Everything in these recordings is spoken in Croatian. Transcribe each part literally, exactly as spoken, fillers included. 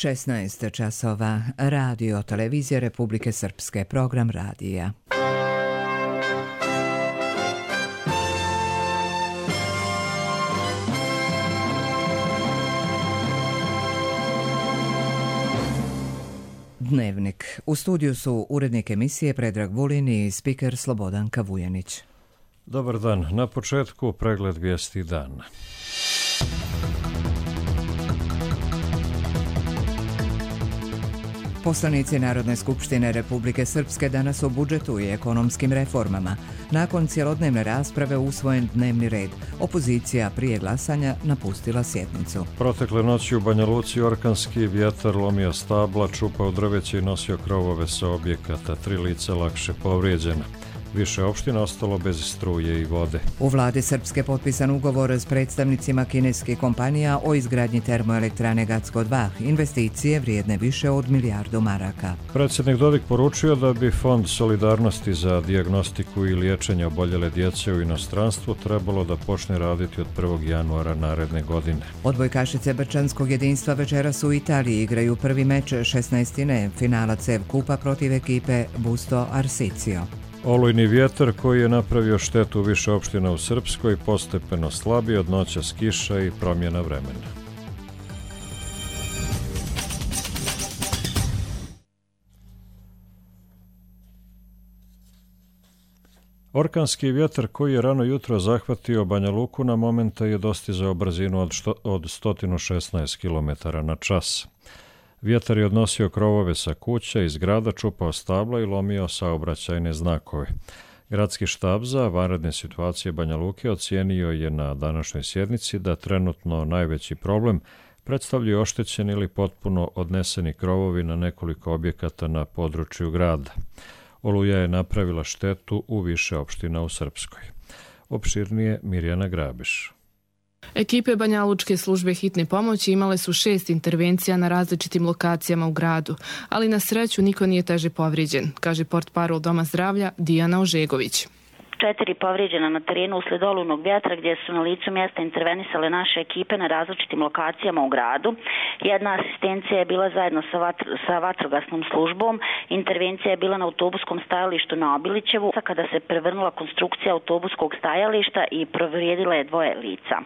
šesnaest časova. Radio Televizija Republike Srpske. Program radija. Dnevnik. U studiju su urednik emisije Predrag Vulin i spiker Slobodanka Vujanić. Dobar dan. Na početku pregled vijesti dana. Poslanici Narodne skupštine Republike Srpske danas o budžetu i ekonomskim reformama. Nakon cjelodnevne rasprave usvojen dnevni red. Opozicija prije glasanja napustila sjednicu. Protekle noći u Banja Luci orkanski vjetar lomio stabla, čupao drveće i nosio krovove sa objekata. Tri lica lakše povrijeđena. Više opština ostalo bez struje i vode. U vladi Srpske potpisan ugovor s predstavnicima kineskih kompanija o izgradnji termoelektrane Gacko dva. Investicije vrijedne više od milijardu maraka. Predsjednik Dodik poručio da bi Fond solidarnosti za dijagnostiku i liječenje oboljele djece u inostranstvu trebalo da počne raditi od prvog januara naredne godine. Odbojkašice Brčanskog jedinstva večeras u Italiji igraju prvi meč šesnaestine finala C E V kupa protiv ekipe Busto Arsizio. Olujni vjetar koji je napravio štetu u više opština u Srpskoj postepeno slabi od noćas kiša i promjena vremena. Orkanski vjetar koji je rano jutro zahvatio Banja Luku na momenta je dostizao brzinu od, što, od sto šesnaest kilometara na čas. Vjetar je odnosio krovove sa kuća iz grada, čupao stabla i lomio saobraćajne znakove. Gradski štab za vanredne situacije Banja Luke ocijenio je na današnjoj sjednici da trenutno najveći problem predstavljaju oštećeni ili potpuno odneseni krovovi na nekoliko objekata na području grada. Oluja je napravila štetu u više opština u Srpskoj. Opširnije Mirjana Grabiš. Ekipe Banjalučke službe hitne pomoći imale su šest intervencija na različitim lokacijama u gradu, ali na sreću niko nije teže povrijeđen, kaže portparol Doma zdravlja Dijana Ožegović. Četiri povrijeđena na terenu uslijed olujnog vjetra gdje su na licu mjesta intervenisale naše ekipe na različitim lokacijama u gradu. Jedna asistencija je bila zajedno sa, vatr, sa vatrogasnom službom. Intervencija je bila na autobuskom stajalištu na Obilićevu kada se prevrnula konstrukcija autobuskog stajališta i povrijedila je dvoje lica.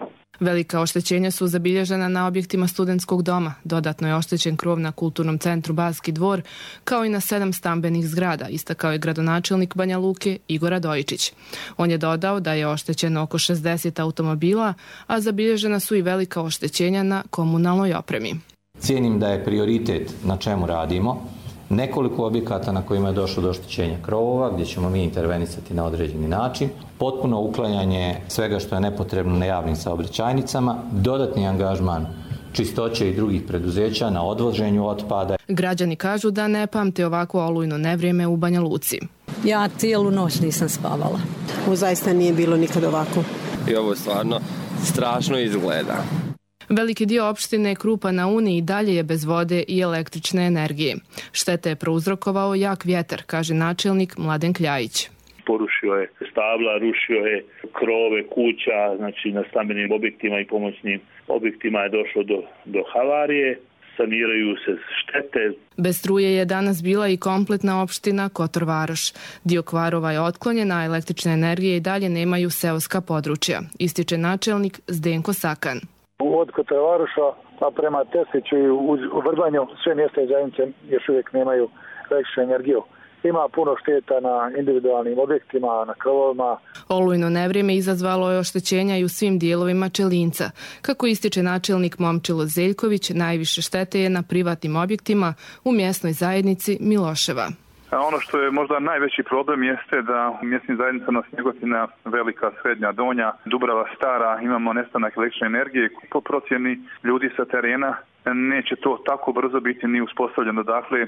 Velika oštećenja su zabilježena na objektima studentskog doma. Dodatno je oštećen krov na kulturnom centru Baski dvor, kao i na sedam stambenih zgrada, istakao je gradonačelnik Banja Luke Igor Radojičić. On je dodao da je oštećeno oko šezdeset automobila, a zabilježena su i velika oštećenja na komunalnoj opremi. Cijenim da je prioritet na čemu radimo nekoliko objekata na kojima je došlo do oštećenja krovova, gdje ćemo mi intervenisati na određeni način, potpuno uklanjanje svega što je nepotrebno na javnim saobraćajnicama, dodatni angažman čistoće i drugih preduzeća na odvoženju otpada. Građani kažu da ne pamte ovako olujno nevrijeme u Banja Luci. Ja cijelu noć nisam spavala. Ovo zaista nije bilo nikad ovako. I ovo stvarno strašno izgleda. Veliki dio opštine Krupa na Uni i dalje je bez vode i električne energije. Štete je prouzrokovao jak vjetar, kaže načelnik Mladen Kljajić. Porušio je stabla, rušio je krove kuća, znači na stambenim objektima i pomoćnim objektima je došlo do, do havarije. Saniraju se štete. Bez struje je danas bila i kompletna opština Kotor Varoš. Dio kvarova je otklonjen, a električne energije i dalje nemaju seoska područja, ističe načelnik Zdenko Sakan. Od Kotor Varoša pa prema Tesliću i u Vrbanju sve mjesta i zajednice još uvijek nemaju električnu energiju. Ima puno šteta na individualnim objektima, na krovovima. Olujno nevrijeme izazvalo je oštećenja i u svim dijelovima Čelinca. Kako ističe načelnik Momčilo Zeljković, najviše štete je na privatnim objektima u mjesnoj zajednici Miloševa. Ono što je možda najveći problem jeste da u mjesnim zajednicama Snjegotina, Velika, Srednja, Donja, Dubrava, Stara imamo nestanak električne energije. Po procjeni ljudi sa terena neće to tako brzo biti ni uspostavljeno. Dakle,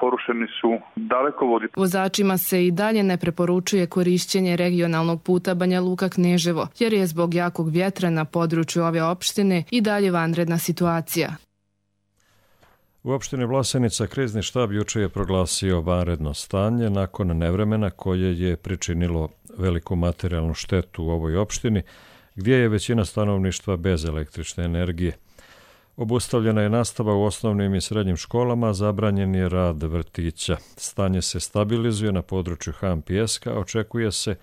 porušeni su dalekovodi. Vozačima se i dalje ne preporučuje korišćenje regionalnog puta Banja Luka-Kneževo, jer je zbog jakog vjetra na području ove opštine i dalje vanredna situacija. U opštini Vlasenica krizni štab juče je proglasio vanredno stanje nakon nevremena koje je pričinilo veliku materijalnu štetu u ovoj opštini, gdje je većina stanovništva bez električne energije. Obustavljena je nastava u osnovnim i srednjim školama, zabranjen je rad vrtića. Stanje se stabilizuje na području Han Pijeska, očekuje se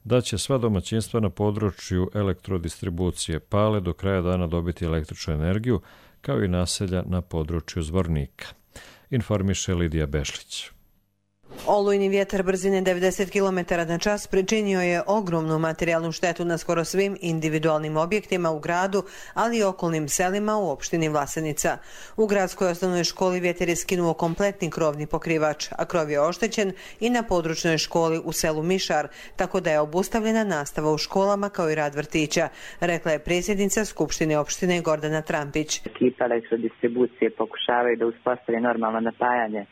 da će sva domaćinstva na području elektrodistribucije Pale do kraja dana dobiti električnu energiju, kao i naselja na području Zvornika. Informiše Lidija Bešlić. Olujni vjetar brzine devedeset kilometara na čas pričinio je ogromnu materijalnu štetu na skoro svim individualnim objektima u gradu, ali i okolnim selima u opštini Vlasenica. U gradskoj osnovnoj školi vjetar je skinuo kompletni krovni pokrivač, a krov je oštećen i na područnoj školi u selu Mišar, tako da je obustavljena nastava u školama kao i rad vrtića, rekla je predsjednica Skupštine opštine Gordana Trampić. Ekipa elektrodistribucije pokušavaju da uspostavi normalno napajanje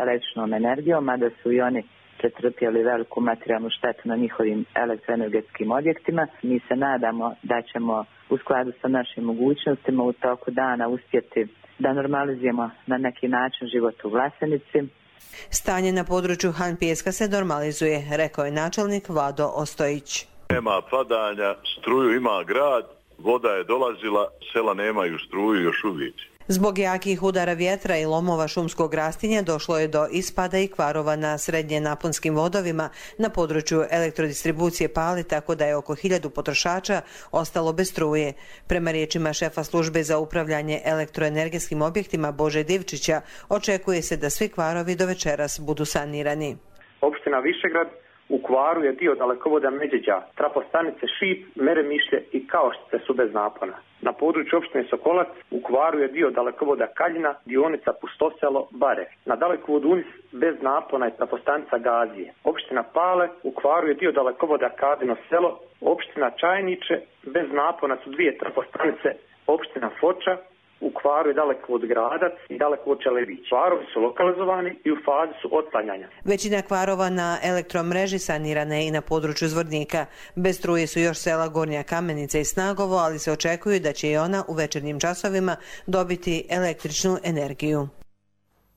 električnom energijom, mada su i oni pretrpjeli veliku materijalnu štetu na njihovim elektroenergetskim objektima. Mi se nadamo da ćemo u skladu sa našim mogućnostima u toku dana uspjeti da normalizujemo na neki način život u Vlasenici. Stanje na području Han Pijeska se normalizuje, rekao je načelnik Vlado Ostojić. Nema padanja, struju ima grad, voda je dolazila, sela nemaju struju još uvijek. Zbog jakih udara vjetra i lomova šumskog rastinja došlo je do ispada i kvarova na srednje naponskim vodovima na području elektrodistribucije Pale, tako da je oko hiljadu potrošača ostalo bez struje. Prema riječima šefa službe za upravljanje elektroenergetskim objektima Bože Divčića, očekuje se da svi kvarovi do večeras budu sanirani. Opština Višegrad u kvaru je dio dalekovoda Međeđa, trafostanice Šip, Meremišlje i Kaoštice su bez napona. Na području opštine Sokolac u kvaru je dio dalekovoda Kaljina, dionica Pustoselo, Bare. Na dalekovodu Unis bez napona je trafostanica Gazije. Opština Pale u kvaru je dio dalekovoda Kadino selo, opština Čajniče bez napona su dvije trafostanice, opština Foča u kvaru je Dalekovod Gradac i Dalekovod Čelebić. Kvarovi su lokalizovani i u fazi su otklanjanja. Većina kvarova na elektromreži sanirana je i na području Zvornika. Bez struje su još sela Gornja Kamenica i Snagovo, ali se očekuju da će i ona u večernjim časovima dobiti električnu energiju.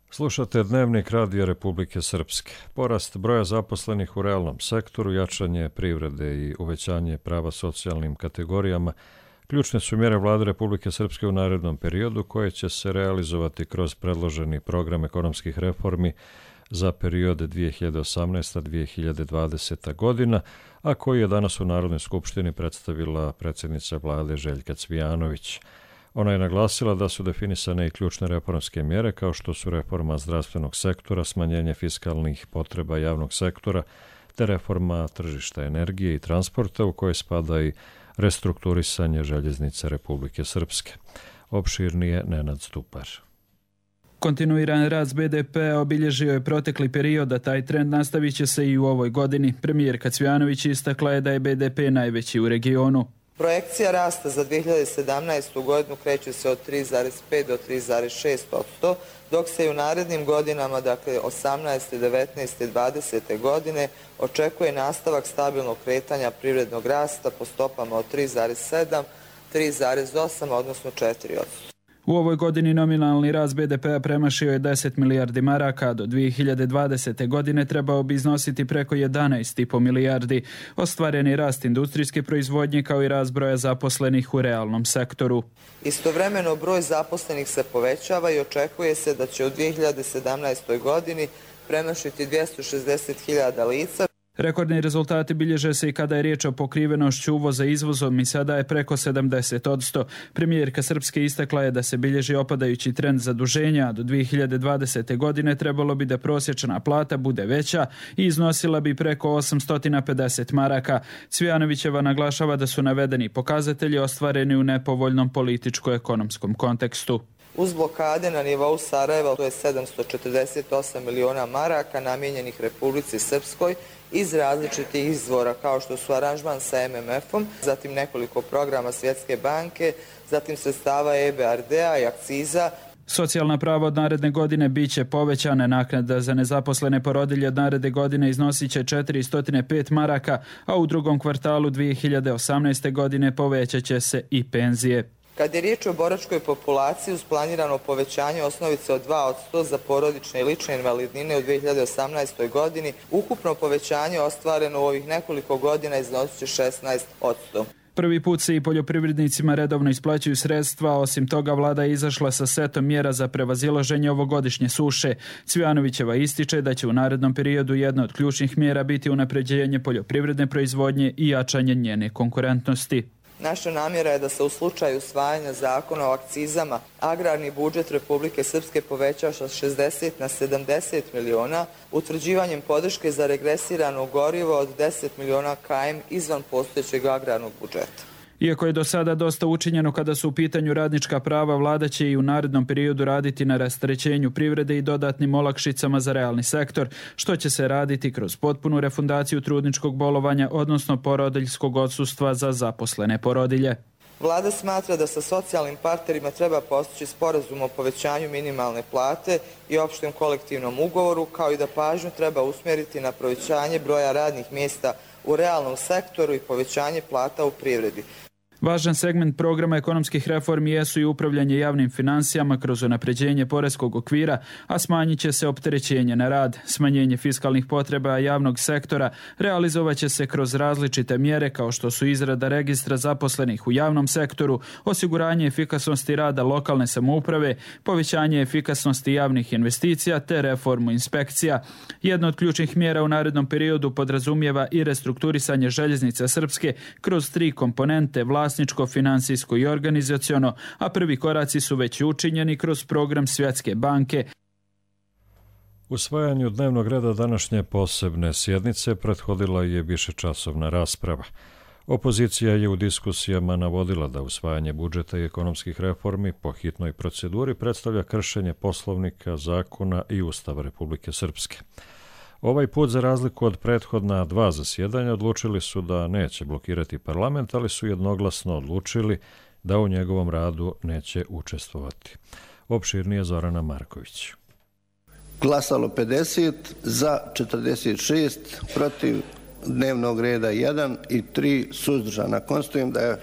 Slušate Dnevnik Radija Republike Srpske. Porast broja zaposlenih u realnom sektoru, jačanje privrede i uvećanje prava socijalnim kategorijama ključne su mjere Vlade Republike Srpske u narednom periodu koje će se realizovati kroz predloženi program ekonomskih reformi za period dvije hiljade osamnaesta do dvije hiljade dvadesete. godina, a koji je danas u Narodnoj skupštini predstavila predsjednica Vlade Željka Cvijanović. Ona je naglasila da su definisane i ključne reformske mjere kao što su reforma zdravstvenog sektora, smanjenje fiskalnih potreba javnog sektora, te reforma tržišta energije i transporta u kojoj spada i restrukturisanje željeznice Republike Srpske. Opširnije Nenad Stupar. Kontinuiran rast be de pea obilježio je protekli period, a taj trend nastavit će se i u ovoj godini. Premijerka Cvijanović istakla je da je be de pe najveći u regionu. Projekcija rasta za dvije hiljade sedamnaestu. godinu kreće se od tri zarez pet do tri zarez šest posto, dok se i u narednim godinama, dakle osamnaeste, devetnaeste i dvadesete. godine, očekuje nastavak stabilnog kretanja privrednog rasta po stopama od tri zarez sedam, tri zarez osam, odnosno četiri posto. U ovoj godini nominalni rast be de pea premašio je deset milijardi maraka, do dvije hiljade dvadesete. godine trebao bi iznositi preko jedanaest zarez pet milijardi. Ostvaren je rast industrijske proizvodnje kao i rast broja zaposlenih u realnom sektoru. Istovremeno broj zaposlenih se povećava i očekuje se da će u dvije hiljade sedamnaestoj. godini premašiti dvjesto šezdeset hiljada lica. Rekordni rezultati bilježe se i kada je riječ o pokrivenošću uvoza izvozom i sada je preko sedamdeset posto. Premijerka Srpske istakla je da se bilježi opadajući trend zaduženja, a do dvije hiljade dvadesete. godine trebalo bi da prosječna plata bude veća i iznosila bi preko osamsto pedeset maraka. Cvijanovićeva naglašava da su navedeni pokazatelji ostvareni u nepovoljnom političko-ekonomskom kontekstu. Uz blokade na nivou Sarajeva, to je sedamsto četrdeset osam miliona maraka namijenjenih Republici Srpskoj iz različitih izvora kao što su aranžman sa em em efom, zatim nekoliko programa Svjetske banke, zatim sredstava e be er de a i akciza. Socijalna prava od naredne godine bit će povećane. Naknada za nezaposlene porodilje od naredne godine iznosit će četiristo pet maraka, a u drugom kvartalu dvije hiljade osamnaeste. godine povećat će se i penzije. Kad je riječ o boračkoj populaciji, uz planirano povećanje osnovice od dva posto za porodične i lične invalidnine u dvije hiljade osamnaestoj. godini, ukupno povećanje ostvareno u ovih nekoliko godina iznosit će šesnaest posto. Prvi put se i poljoprivrednicima redovno isplaćuju sredstva, osim toga vlada je izašla sa setom mjera za prevazilaženje ovogodišnje suše. Cvijanovićeva ističe da će u narednom periodu jedna od ključnih mjera biti unapređenje poljoprivredne proizvodnje i jačanje njene konkurentnosti. Naša namjera je da se u slučaju usvajanja zakona o akcizama agrarni budžet Republike Srpske poveća sa šezdeset na sedamdeset miliona, utvrđivanjem podrške za regresirano gorivo od deset miliona kilometara izvan postojećeg agrarnog budžeta. Iako je do sada dosta učinjeno kada su u pitanju radnička prava, vlada će i u narednom periodu raditi na rasterećenju privrede i dodatnim olakšicama za realni sektor, što će se raditi kroz potpunu refundaciju trudničkog bolovanja, odnosno porodiljskog odsustva za zaposlene porodilje. Vlada smatra da sa socijalnim partnerima treba postići sporazum o povećanju minimalne plate i opštem kolektivnom ugovoru, kao i da pažnju treba usmjeriti na povećanje broja radnih mjesta u realnom sektoru i povećanje plata u privredi. Važan segment programa ekonomskih reformi jesu i upravljanje javnim financijama kroz unapređenje poreskog okvira, a smanjit će se opterećenje na rad. Smanjenje fiskalnih potreba javnog sektora realizovat će se kroz različite mjere kao što su izrada registra zaposlenih u javnom sektoru, osiguranje efikasnosti rada lokalne samouprave, povećanje efikasnosti javnih investicija te reformu inspekcija. Jedna od ključnih mjera u narednom periodu podrazumijeva i restrukturisanje željeznice Srpske kroz tri komponente: vlasničko, finansijsko i organizaciono, a prvi koraci su već učinjeni kroz program Svjetske banke. Usvajanju dnevnog reda današnje posebne sjednice prethodila je višečasovna rasprava. Opozicija je u diskusijama navodila da usvajanje budžeta i ekonomskih reformi po hitnoj proceduri predstavlja kršenje Poslovnika, zakona i Ustava Republike Srpske. Ovaj put, za razliku od prethodna dva zasjedanja, odlučili su da neće blokirati parlament, ali su jednoglasno odlučili da u njegovom radu neće učestvovati. Opširnije Zorana Marković. Glasalo pedeset, za četrdeset šest, protiv dnevnog reda jedan i tri suzdržana. Konstatujem da je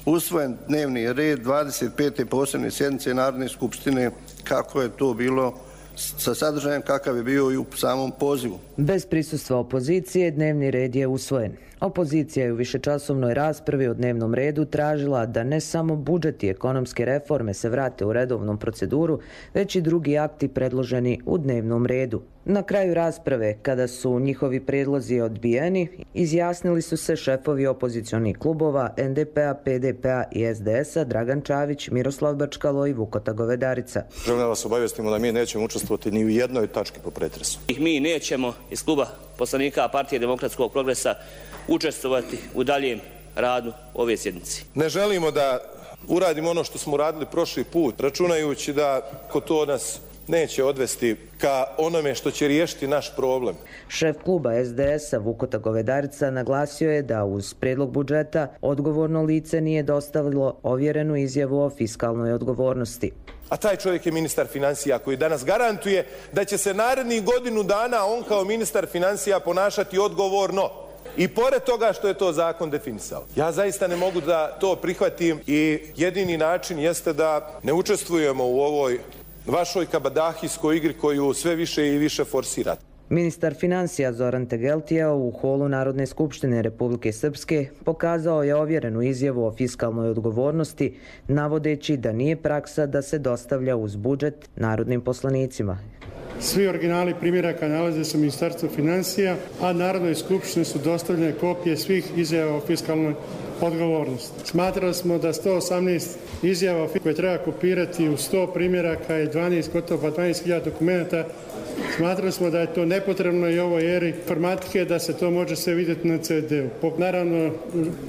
usvojen dnevni red dvadeset pete posebne sjednice Narodne skupštine kako je to bilo sa sadržajem kakav je bio i u samom pozivu. Bez prisustva opozicije dnevni red je usvojen. Opozicija je u višečasovnoj raspravi o dnevnom redu tražila da ne samo budžet i ekonomske reforme se vrate u redovnom proceduru, već i drugi akti predloženi u dnevnom redu. Na kraju rasprave, kada su njihovi predlozi odbijeni, izjasnili su se šefovi opozicionih klubova en de pe a, pe de pe a i es de es a Dragan Čavić, Miroslav Bačkalo i Vukota Govedarica. Želim da vas obavijestimo da mi nećemo učestvovati ni u jednoj tački po pretresu. Mi nećemo iz kluba poslanika Partije demokratskog progresa učestvovati u daljem radu ove sjednice. Ne želimo da uradimo ono što smo radili prošli put, računajući da ko to nas neće odvesti ka onome što će riješiti naš problem. Šef kluba es de es a Vukota Govedarica naglasio je da uz predlog budžeta odgovorno lice nije dostavilo ovjerenu izjavu o fiskalnoj odgovornosti. A taj čovjek je ministar financija koji danas garantuje da će se narednih godinu dana on kao ministar financija ponašati odgovorno. I pored toga što je to zakon definisao. Ja zaista ne mogu da to prihvatim i jedini način jeste da ne učestvujemo u ovoj vašoj kabadahijskoj igri koju sve više i više forsirate. Ministar financija Zoran Tegeltija u holu Narodne skupštine Republike Srpske pokazao je ovjerenu izjavu o fiskalnoj odgovornosti, navodeći da nije praksa da se dostavlja uz budžet narodnim poslanicima. Svi originali primjeraka nalaze se u Ministarstvu financija, a Narodnoj skupštini su dostavljene kopije svih izjava o fiskalnoj odgovornosti. Smatrali smo da sto osamnaest izjava koje treba kopirati u sto primjeraka i dvanaest, gotovo dvanaest hiljada dokumenta, smatrali smo da je to nepotrebno i ovoj eri informatike da se to može sve vidjeti na ce de-u. Naravno,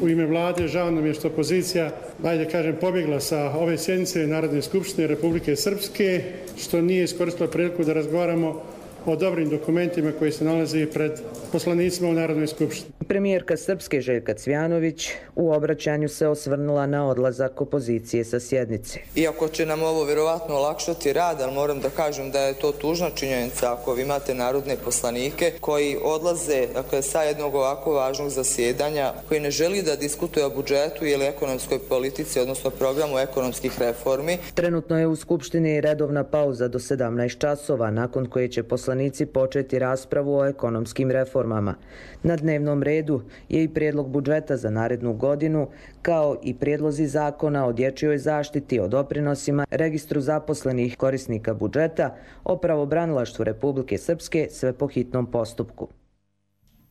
u ime vlade žao nam je što opozicija, ajde kažem, pobjegla sa ove sjednice Narodne skupštine Republike Srpske, što nije iskoristila priliku da razgovaramo o dobrim dokumentima koji se nalaze pred poslanicima u Narodnoj skupštini. Premijerka Srpske Željka Cvijanović u obraćanju se osvrnula na odlazak opozicije sa sjednice. Iako će nam ovo vjerovatno olakšati rad, ali moram da kažem da je to tužna činjenica ako vi imate narodne poslanike koji odlaze, dakle, sa jednog ovako važnog zasjedanja, koji ne želi da diskutuje o budžetu ili ekonomskoj politici, odnosno programu ekonomskih reformi. Trenutno je u Skupštini redovna pauza do sedamnaest časova, nakon koje će poslanici poslanici početi raspravu o ekonomskim reformama. Na dnevnom redu je i prijedlog budžeta za narednu godinu, kao i prijedlozi zakona o dječjoj zaštiti, o doprinosima, registru zaposlenih korisnika budžeta, o pravobranilaštvu Republike Srpske, sve po hitnom postupku.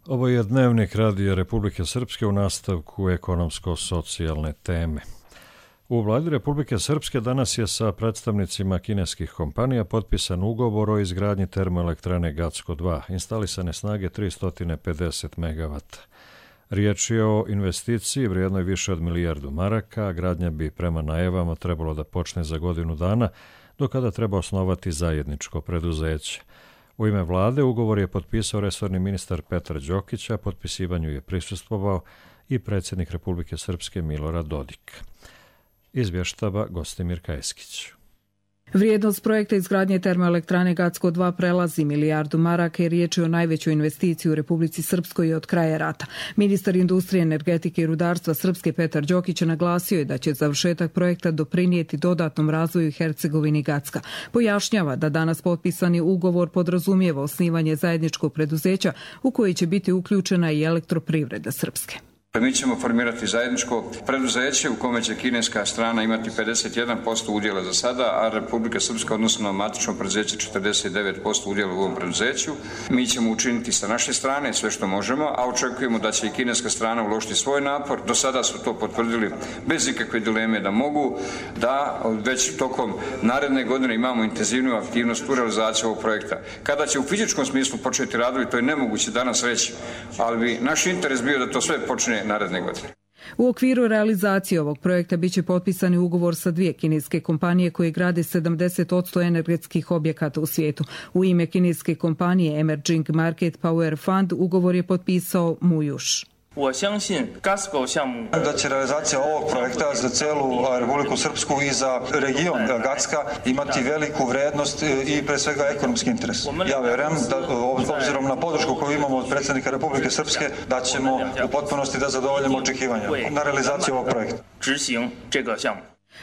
Ovo je dnevnik Radija Republike Srpske u nastavku ekonomsko-socijalne teme. U vladi Republike Srpske danas je sa predstavnicima kineskih kompanija potpisan ugovor o izgradnji termoelektrane Gacko dva, instalisane snage tristo pedeset megavata. Riječ je o investiciji vrijednoj više od milijardu maraka, a gradnja bi prema najavama trebalo da počne za godinu dana, do kada treba osnovati zajedničko preduzeće. U ime vlade ugovor je potpisao resorni ministar Petar Đokić, a potpisivanju je prisustvovao i predsjednik Republike Srpske Milorad Dodik. Izvještava Gostimir Kajeskić. Vrijednost projekta izgradnje termoelektrane Gacko dva prelazi milijardu maraka i riječ je o najvećoj investiciji u Republici Srpskoj od kraja rata. Ministar industrije, energetike i rudarstva Srpske Petar Đokić naglasio je da će završetak projekta doprinijeti dodatnom razvoju Hercegovini i Gacka. Pojašnjava da danas potpisani ugovor podrazumijeva osnivanje zajedničkog preduzeća u koji će biti uključena i elektroprivreda Srpske. Mi ćemo formirati zajedničko preduzeće u kome će kineska strana imati pedeset jedan posto udjela za sada, a Republika Srpska, odnosno matično preduzeće, četrdeset devet posto udjela u ovom preduzeću. Mi ćemo učiniti sa naše strane sve što možemo, a očekujemo da će i kineska strana uložiti svoj napor. Do sada su to potvrdili bez ikakve dileme da mogu, da već tokom naredne godine imamo intenzivniju aktivnost u realizaciji ovog projekta. Kada će u fizičkom smislu početi radovi, to je nemoguće danas reći, ali bi naš interes bio da to sve počne naredne godine. U okviru realizacije ovog projekta biće potpisani ugovor sa dvije kineske kompanije koje grade sedamdeset posto energetskih objekata u svijetu. U ime kineske kompanije Emerging Market Power Fund ugovor je potpisao Mujuš. Da će realizacija ovog projekta za celu Republiku Srpsku i za region Gacka imati veliku vrednost i pre svega ekonomski interes. Ja verujem da obzirom na podršku koju imamo od predsjednika Republike Srpske da ćemo u potpunosti da zadovoljimo očekivanja na realizaciju ovog projekta.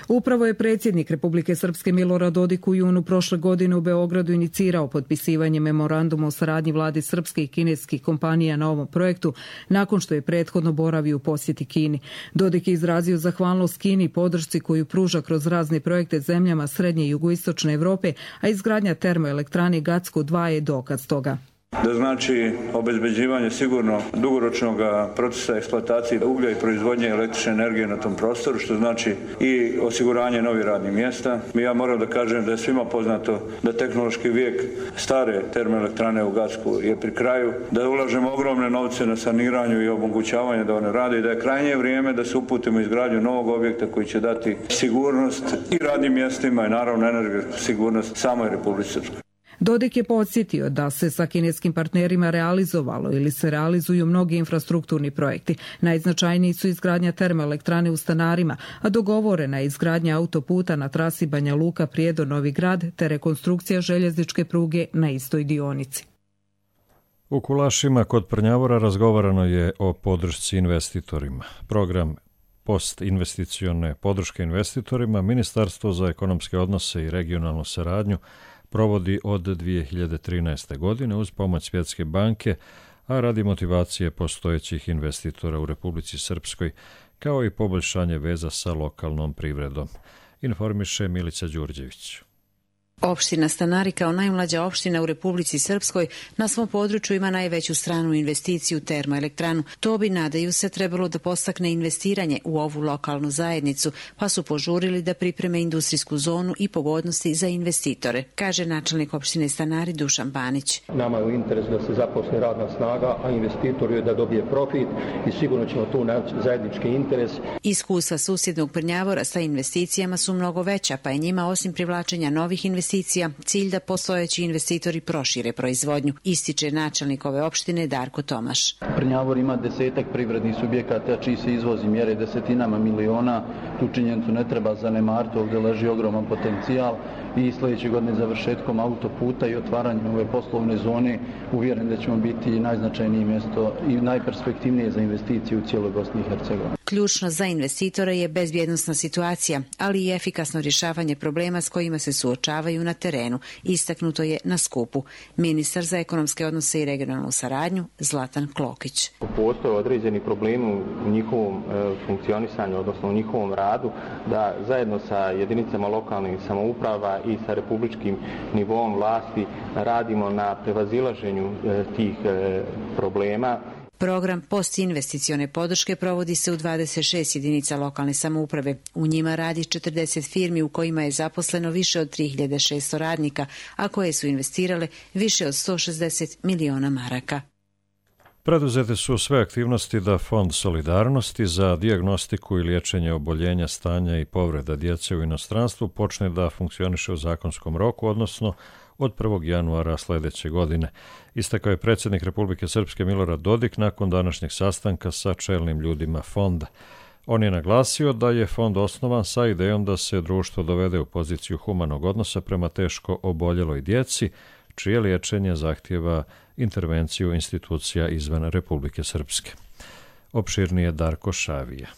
Upravo je predsjednik Republike Srpske Milorad Dodik u junu prošle godine u Beogradu inicirao potpisivanje memoranduma o saradnji vladi srpske i kineskih kompanija na ovom projektu, nakon što je prethodno boravio u posjeti Kini. Dodik je izrazio zahvalnost Kini i podršci koju pruža kroz razne projekte zemljama srednje i jugoistočne Evrope, a izgradnja termoelektrane Gacko dva je dokaz toga. Da znači obezbeđivanje sigurno dugoročnog procesa eksploatacije uglja i proizvodnje električne energije na tom prostoru, što znači i osiguranje novih radnih mjesta. Ja moram da kažem da je svima poznato da tehnološki vijek stare termoelektrane u Gacku je pri kraju, da ulažemo ogromne novce na saniranju i omogućavanje da one rade i da je krajnje vrijeme da se uputimo izgradnju novog objekta koji će dati sigurnost i radnim mjestima i naravno energetsku sigurnost samoj Republici Srpskoj. Dodik je podsjetio da se sa kineskim partnerima realizovalo ili se realizuju mnogi infrastrukturni projekti. Najznačajniji su izgradnja termoelektrane u Stanarima, a dogovorena je izgradnja autoputa na trasi Banja Luka – Prijedor – Novi Grad te rekonstrukcija željezničke pruge na istoj dionici. U Kulašima kod Prnjavora razgovarano je o podršci investitorima. Program postinvesticione podrške investitorima Ministarstvo za ekonomske odnose i regionalnu saradnju provodi od dvije hiljade trinaeste. godine uz pomoć Svjetske banke, a radi motivacije postojećih investitora u Republici Srpskoj, kao i poboljšanje veza sa lokalnom privredom, informiše Milica Đurđević. Opština Stanari kao najmlađa opština u Republici Srpskoj na svom području ima najveću stranu investiciju termoelektranu. To bi, nadaju se, trebalo da postakne investiranje u ovu lokalnu zajednicu, pa su požurili da pripreme industrijsku zonu i pogodnosti za investitore, kaže načelnik opštine Stanari Dušan Banić. Nama je u interesu da se zaposli radna snaga, a investitor je da dobije profit i sigurno ćemo tu naći zajednički interes. Iskustva susjednog Prnjavora sa investicijama su mnogo veća, pa je njima osim privlačenja novih investicija cilj da postojeći investitori prošire proizvodnju, ističe načelnik ove opštine Darko Tomaš. Prnjavor ima desetak privrednih subjekata čiji se izvozi mjere desetinama miliona. Tu činjenicu ne treba zanemariti, ovdje leži ogroman potencijal i sljedeće godine završetkom autoputa i otvaranjem ove poslovne zone uvjeren da ćemo biti najznačajnije mjesto i najperspektivnije za investicije u cijeloj Bosni i Hercegovini. Ključno za investitore je bezbjednosna situacija, ali i efikasno rješavanje problema s kojima se suočavaju na terenu, istaknuto je na skupu. Ministar za ekonomske odnose i regionalnu saradnju Zlatan Klokić. Postoje određeni problemi u njihovom e, funkcionisanju, odnosno u njihovom radu, da zajedno sa jedinicama lokalnih samouprava i sa republičkim nivoom vlasti radimo na prevazilaženju e, tih e, problema. Program postinvesticione podrške provodi se u dvadeset šest jedinica lokalne samouprave. U njima radi četrdeset firmi u kojima je zaposleno više od tri hiljade šesto radnika, a koje su investirale više od sto šezdeset miliona maraka. Preduzete su sve aktivnosti da Fond solidarnosti za dijagnostiku i liječenje oboljenja, stanja i povreda djece u inostranstvu počne da funkcioniše u zakonskom roku, odnosno od prvog januara sljedeće godine. Istakao je predsjednik Republike Srpske Milorad Dodik nakon današnjeg sastanka sa čelnim ljudima fonda. On je naglasio da je fond osnovan sa idejom da se društvo dovede u poziciju humanog odnosa prema teško oboljeloj djeci, čije liječenje zahtijeva intervenciju institucija izvan Republike Srpske. Opširnije Darko Šavija.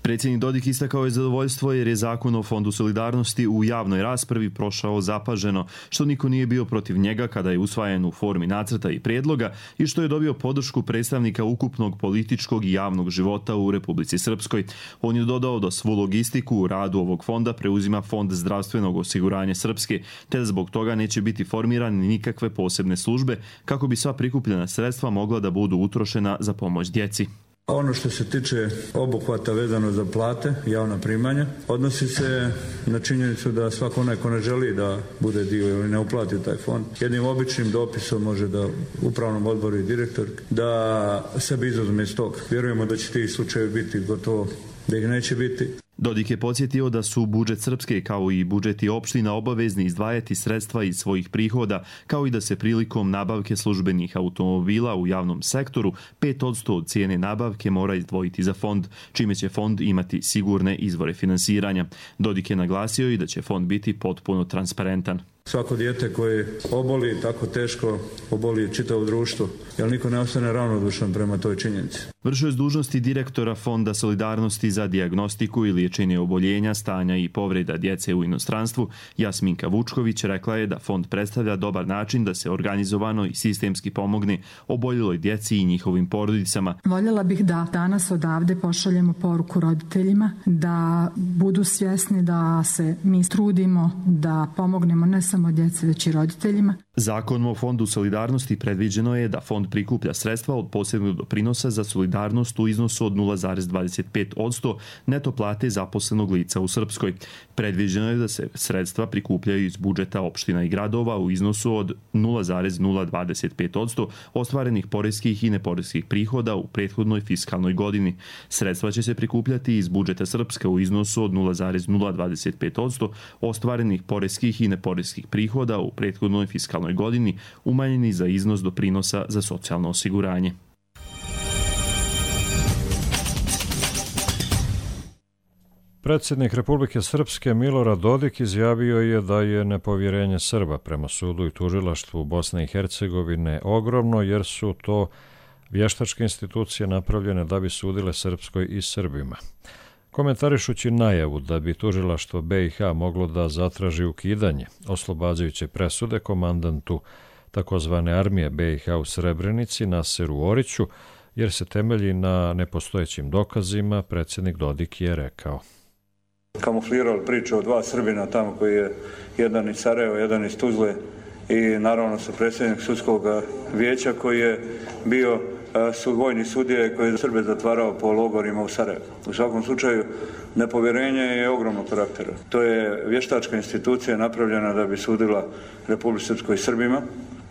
Predsjednik Dodik istakao je zadovoljstvo jer je zakon o Fondu solidarnosti u javnoj raspravi prošao zapaženo, što niko nije bio protiv njega kada je usvajan u formi nacrta i prijedloga i što je dobio podršku predstavnika ukupnog političkog i javnog života u Republici Srpskoj. On je dodao da svu logistiku u radu ovog fonda preuzima Fond zdravstvenog osiguranja Srpske, te da zbog toga neće biti formirane nikakve posebne službe kako bi sva prikupljena sredstva mogla da budu utrošena za pomoć djeci. Ono što se tiče obuhvata vezano za plate, javna primanja, odnosi se na činjenicu da svako onaj ko ne želi da bude dio ili ne uplati taj fond, jednim običnim dopisom može da upravnom odboru i direktor da sebi izuzme iz toga. Vjerujemo da će ti slučajevi biti gotovo, da ih neće biti. Dodik je podsjetio da su budžet Srpske kao i budžeti opština obavezni izdvajati sredstva iz svojih prihoda, kao i da se prilikom nabavke službenih automobila u javnom sektoru pet posto od cijene nabavke mora izdvojiti za fond, čime će fond imati sigurne izvore finansiranja. Dodik je naglasio i da će fond biti potpuno transparentan. Svako dijete koje oboli tako teško, oboli čitavo društvo, jer niko ne ostane ravnodušan prema toj činjenici. Vršio je dužnosti direktora Fonda solidarnosti za dijagnostiku i liječenje oboljenja, stanja i povreda djece u inostranstvu, Jasminka Vučković, rekla je da fond predstavlja dobar način da se organizovano i sistemski pomogne oboljeloj djeci i njihovim porodicama. Voljela bih da danas odavde pošaljemo poruku roditeljima, da budu svjesni da se mi trudimo da pomognemo ne samo djeci, već i roditeljima. Zakonom o Fondu solidarnosti predviđeno je da fond prikuplja sredstva od posebnog doprinosa za solidarnost u iznosu od nula zarez dvadeset pet posto neto plate zaposlenog lica u Srpskoj. Predviđeno je da se sredstva prikupljaju iz budžeta opština i gradova u iznosu od nula zarez nula dvadeset pet posto ostvarenih poreskih i neporeskih prihoda u prethodnoj fiskalnoj godini. Sredstva će se prikupljati iz budžeta Srpske u iznosu od nula zarez nula dvadeset pet posto ostvarenih poreskih i neporeskih prihoda u prethodnoj fiskalnoj godini, umanjeni za iznos doprinosa za socijalno osiguranje. Predsjednik Republike Srpske Milorad Dodik izjavio je da je nepovjerenje Srba prema sudu i tužilaštvu Bosne i Hercegovine ogromno, jer su to vještačke institucije napravljene da bi sudile Srpskoj i Srbima. Komentarišući najavu da bi tužilaštvo be i ha moglo da zatraži ukidanje oslobađajuće presude komandantu takozvane armije be i ha u Srebrenici Naseru Oriću, jer se temelji na nepostojećim dokazima, predsjednik Dodik je rekao: Kamuflirali priču o dva Srbina tamo koji je jedan iz Sarajeva, jedan iz Tuzle i naravno sa predsjednik sudskog vijeća koji je bio su vojni sudije koji je Srbe zatvarao po logorima u Sarajevu. U svakom slučaju, nepovjerenje je ogromnog karaktera. To je vještačka institucija napravljena da bi sudila Republici Srpskoj i Srbima.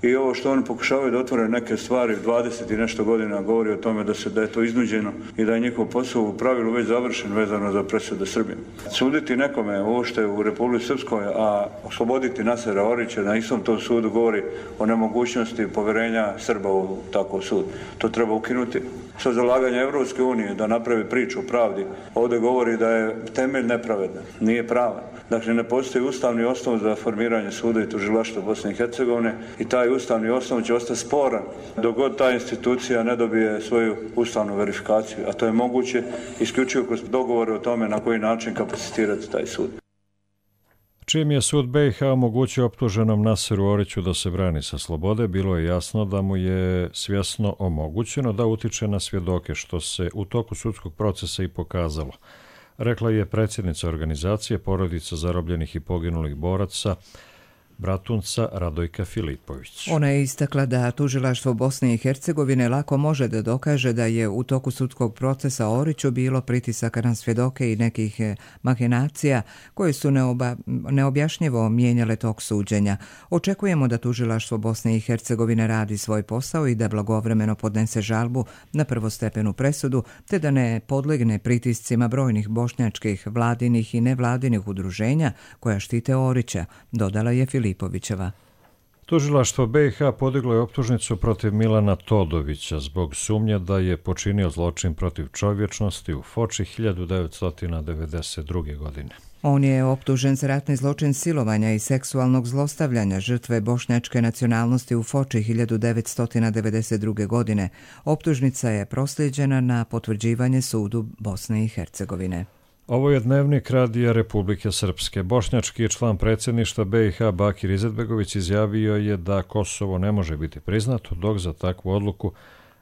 I ovo što oni pokušavaju da otvore neke stvari dvadeset i nešto godina govori o tome da se da je to iznuđeno i da je njihov posao u pravilu već završen vezano za presude Srbije. Suditi nekome ovo što je u Republici Srpskoj, a osloboditi Nasera Orića na istom tom sudu govori o nemogućnosti povjerenja Srba u takav sud. To treba ukinuti. sa zalaganja Evropske unije da napravi priču o pravdi, ovdje govori da je temelj nepravedan, nije pravan. Dakle, ne postoji ustavni osnov za formiranje suda i tužilaštva Bosne i Hercegovine i taj ustavni osnov će ostati sporan dok god ta institucija ne dobije svoju ustavnu verifikaciju, a to je moguće isključivo kroz dogovore o tome na koji način kapacitirati taj sud. Čim je sud B i H omogućio optuženom Naseru Oriću da se brani sa slobode, bilo je jasno da mu je svjesno omogućeno da utiče na svjedoke, što se u toku sudskog procesa i pokazalo, rekla je predsjednica organizacije Porodica zarobljenih i poginulih boraca Bratunca Radojka Filipović. Ona je istakla da tužilaštvo Bosne i Hercegovine lako može da dokaže da je u toku sudskog procesa Oriću bilo pritisaka na svjedoke i nekih mahinacija koje su neoba, neobjašnjivo mijenjale tok suđenja. Očekujemo da tužilaštvo Bosne i Hercegovine radi svoj posao i da blagovremeno podnese žalbu na prvostepenu presudu, te da ne podlegne pritiscima brojnih bošnjačkih, vladinih i nevladinih udruženja koja štite Orića, dodala je Filipović. Filipovićeva. Tužilaštvo B i H podiglo je optužnicu protiv Milana Todovića zbog sumnje da je počinio zločin protiv čovječnosti u Foči hiljadu devetsto devedeset druge. godine. On je optužen za ratni zločin silovanja i seksualnog zlostavljanja žrtve bošnjačke nacionalnosti u Foči hiljadu devetsto devedeset druge. godine. Optužnica je proslijeđena na potvrđivanje sudu Bosne i Hercegovine. Ovo je dnevnik Radija Republike Srpske. Bošnjački član predsjedništva B i H Bakir Izetbegović izjavio je da Kosovo ne može biti priznato dok za takvu odluku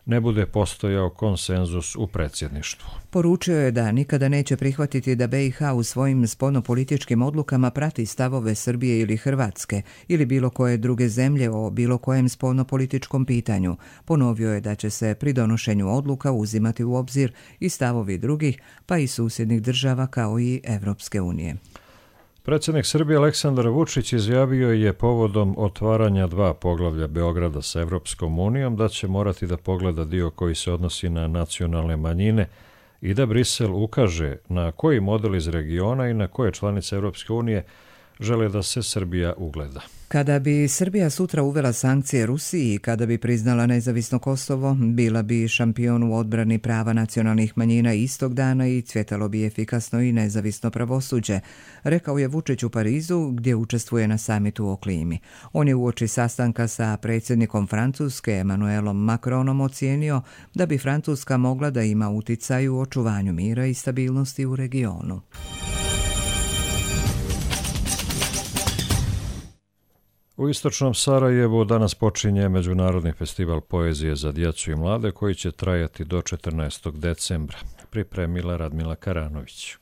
ne bude postojao konsenzus u predsjedništvu. Poručio je da nikada neće prihvatiti da B i H u svojim spoljnopolitičkim odlukama prati stavove Srbije ili Hrvatske ili bilo koje druge zemlje o bilo kojem spoljnopolitičkom pitanju. Ponovio je da će se pri donošenju odluka uzimati u obzir i stavovi drugih, pa i susjednih država kao i Evropske unije. Predsjednik Srbije Aleksandar Vučić izjavio je povodom otvaranja dva poglavlja Beograda sa Evropskom unijom da će morati da pogleda dio koji se odnosi na nacionalne manjine i da Brisel ukaže na koji model iz regiona i na koje članice Evropske unije žele da se Srbija ugleda. Kada bi Srbija sutra uvela sankcije Rusiji i kada bi priznala nezavisno Kosovo, bila bi šampion u odbrani prava nacionalnih manjina istog dana i cvjetalo bi efikasno i nezavisno pravosuđe, rekao je Vučić u Parizu gdje učestvuje na samitu o klimi. On je uoči sastanka sa predsjednikom Francuske Emmanuelom Macronom ocijenio da bi Francuska mogla da ima uticaj u očuvanju mira i stabilnosti u regionu. U istočnom Sarajevu danas počinje Međunarodni festival poezije za djecu i mlade koji će trajati do četrnaestog decembra. Pripremila Radmila Karanović.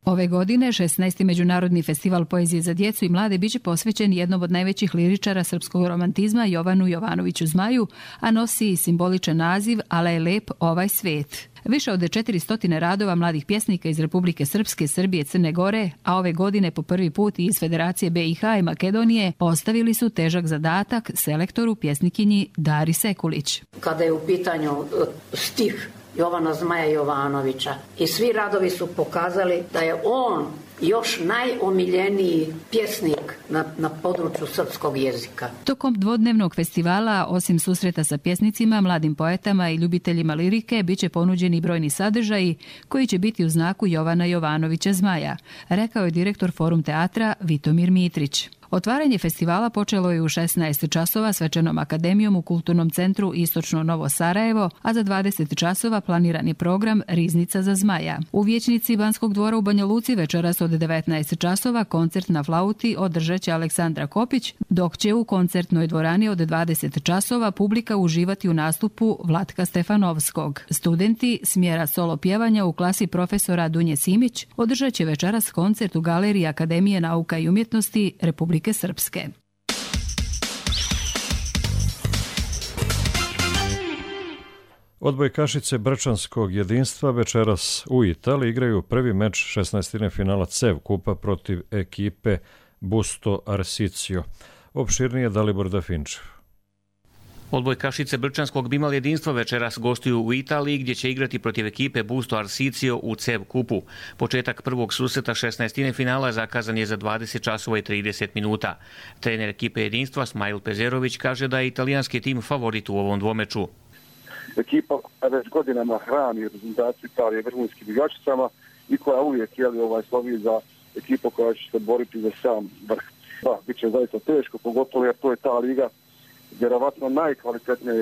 Ove godine šesnaesti Međunarodni festival poezije za djecu i mlade biće posvećen jednom od najvećih liričara srpskog romantizma Jovanu Jovanoviću Zmaju, a nosi i simboličan naziv Ale je lep ovaj svet. Više od četiristo radova mladih pjesnika iz Republike Srpske, Srbije, Crne Gore, a ove godine po prvi put i iz Federacije B i H i Makedonije, postavili su težak zadatak selektoru pjesnikinji Dari Sekulić. Kada je u pitanju stih Jovana Zmaja Jovanovića i svi radovi su pokazali da je on još najomiljeniji pjesnik na, na području srpskog jezika. Tokom dvodnevnog festivala, osim susreta sa pjesnicima, mladim poetama i ljubiteljima lirike, bit će ponuđeni brojni sadržaji koji će biti u znaku Jovana Jovanovića Zmaja, rekao je direktor Forum teatra Vitomir Mitrić. Otvaranje festivala počelo je u šesnaest časova svečanom akademijom u Kulturnom centru Istočno Novo Sarajevo, a za dvadeset časova planiran je program Riznica za Zmaja. U vijećnici Banskog dvora u Banja Luci večeras od devetnaest časova koncert na flauti održat će Aleksandra Kopić, dok će u koncertnoj dvorani od dvadeset časova publika uživati u nastupu Vlatka Stefanovskog. Studenti smjera solo pjevanja u klasi profesora Dunje Simić održat će večeras koncert u Galeriji Akademije nauka i umjetnosti Republike Srpske. Odbojkašice Brčanskog jedinstva večeras u Italiji igraju prvi meč šesnaestine finala C E V kupa protiv ekipe Busto Arsizio. Opširnije Dalibor Dafinčev. Odbojkašice Brčanskog bimal jedinstva večeras gostuju u Italiji gdje će igrati protiv ekipe Busto Arsizio u C E V kupu. Početak prvog susreta šesnaestine finala zakazan je za dvadeset časova i trideset minuta. Trener ekipe jedinstva Smajl Pezerović kaže da je italijanski tim favorit u ovom dvomeču. ekipa koja već godinama hrani reprezentaciju Italije vrhunskim igračicama i koja uvijek jeli, ovaj, slovi za ekipu koja će se boriti za sam vrh. Da, bit će zaista teško, pogotovo jer to je ta liga, vjerovatno najkvalitetnija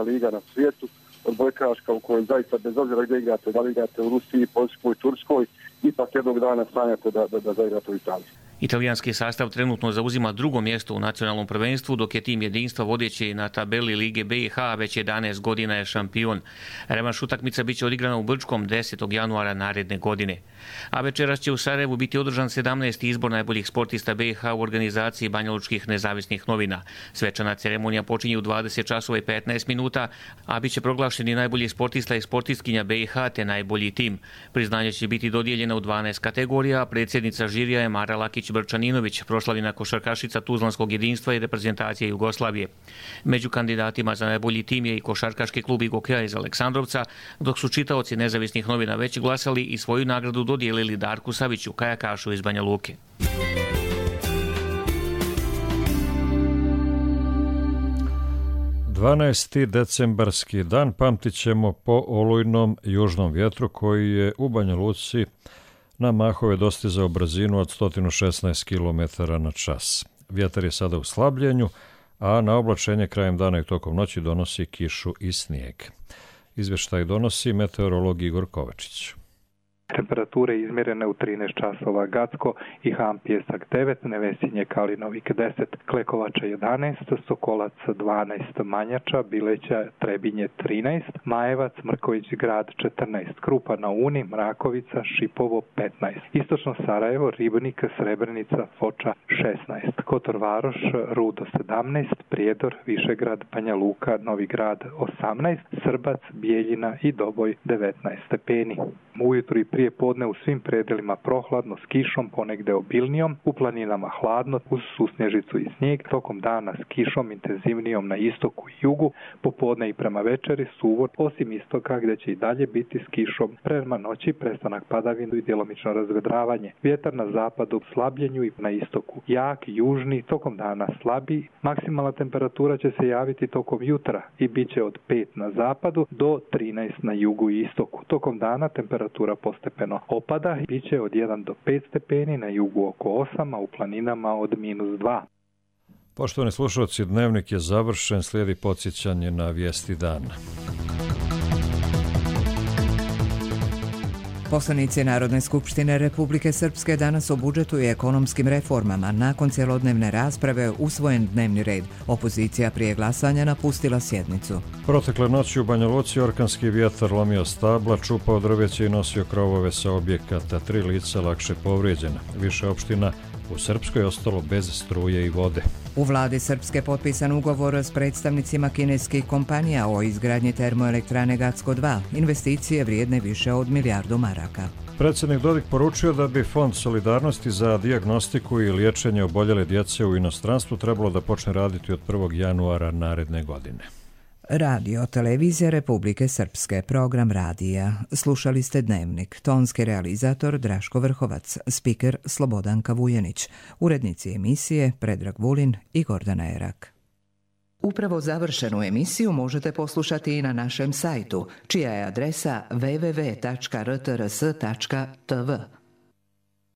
liga na svijetu, odbojkaška u kojoj zaista bez obzira gdje igrate, da li igrate u Rusiji, Poljskoj, Turskoj, ipak jednog dana sanjate da, da, da zaigrate u Italiji. Italijanski sastav trenutno zauzima drugo mjesto u nacionalnom prvenstvu, dok je tim jedinstva vodeći na tabeli Lige B i H već jedanaest godina je šampion. Revanš utakmica biće odigrana u Brčkom desetog januara naredne godine. A večeras će u Sarajevu biti održan sedamnaesti izbor najboljih sportista B i H u organizaciji Banjalučkih nezavisnih novina. Svečana ceremonija počinje u dvadeset časova i petnaest minuta, a bit će proglašeni najbolji sportista i sportistkinja B i H te najbolji tim. Priznanje će biti dodijeljena u dvanaest kategorija, a predsjednica žirija je Mara Lakić Brčaninović, proslavljena košarkašica Tuzlanskog jedinstva i reprezentacije Jugoslavije. Među kandidatima za najbolji tim je i košarkaški klub Igokeja iz Aleksandrovca, dok su čitaoci nezavisnih novina već glasali i svoju nagradu dodijelili Darku Saviću, kajakašu iz Banja Luke. dvanaesti decembarski dan pamtit ćemo po olujnom južnom vjetru koji je u Banja Luci na mahove dostizao brzinu od sto šesnaest kilometara na čas. Vjetar je sada u slabljenju, a na oblačenje krajem dana i tokom noći donosi kišu i snijeg. Izvještaj donosi meteorolog Igor Kovačić. Temperature izmjerene u trinaest časova Gacko i Ham Pjesak devet, Nevesinje Kalinovik deset, Klekovača jedanaest, Sokolac dvanaest, Manjača, Bileća, Trebinje trinaest, Majevac, Mrković Grad četrnaest, Krupa na Uni, Mrakovica, Šipovo petnaest, Istočno Sarajevo, Ribnik, Srebrenica, Foča šesnaest, Kotor Varoš, Rudo sedamnaest, Prijedor, Višegrad, Banja Luka, Novi Grad osamnaest, Srbac, Bijeljina i Doboj devetnaest stepeni. Ujutro i prije podne u svim predelima prohladno s kišom, ponegde obilnijom, u planinama hladno uz susnježicu i snijeg, tokom dana s kišom intenzivnijom na istoku i jugu, popodne i prema večeri suvo, osim istoka gdje će i dalje biti s kišom, prema noći prestanak padavinu i djelomično razvedravanje. Vjetar na zapadu slabljenju i na istoku jak, južni, tokom dana slabi, maksimalna temperatura će se javiti tokom jutra i bit će od pet na zapadu do trinaest na jugu i istoku. Tokom dana temperatura postepeno opada i bit će od jedan do pet stepeni, na jugu oko osam, a u planinama od minus dva. Poštovani slušalci, dnevnik je završen, slijedi podsjećanje na vijesti dana. Poslanici Narodne skupštine Republike Srpske danas o budžetu i ekonomskim reformama. Nakon cjelodnevne rasprave usvojen dnevni red. Opozicija prije glasanja napustila sjednicu. Protekle noći u Banja Luci orkanski vjetar lomio stabla, čupao drveće i nosio krovove sa objekata. Tri lica lakše povrijeđena. Više opština u Srpskoj ostalo bez struje i vode. U vladi Srpske potpisan ugovor s predstavnicima kineskih kompanija o izgradnji termoelektrane Gacko dva, investicije vrijedne više od milijardu maraka. Predsjednik Dodik poručio da bi Fond solidarnosti za dijagnostiku i liječenje oboljele djece u inostranstvu trebalo da počne raditi od prvog januara naredne godine. Radio Televizija Republike Srpske, program radija. Slušali ste Dnevnik. Tonski realizator Draško Vrhovac, spiker Slobodanka Vujenić, urednici emisije Predrag Vulin i Gordana Erak. Upravo završenu emisiju možete poslušati i na našem sajtu, čija je adresa w w w tačka r t r s tačka t v.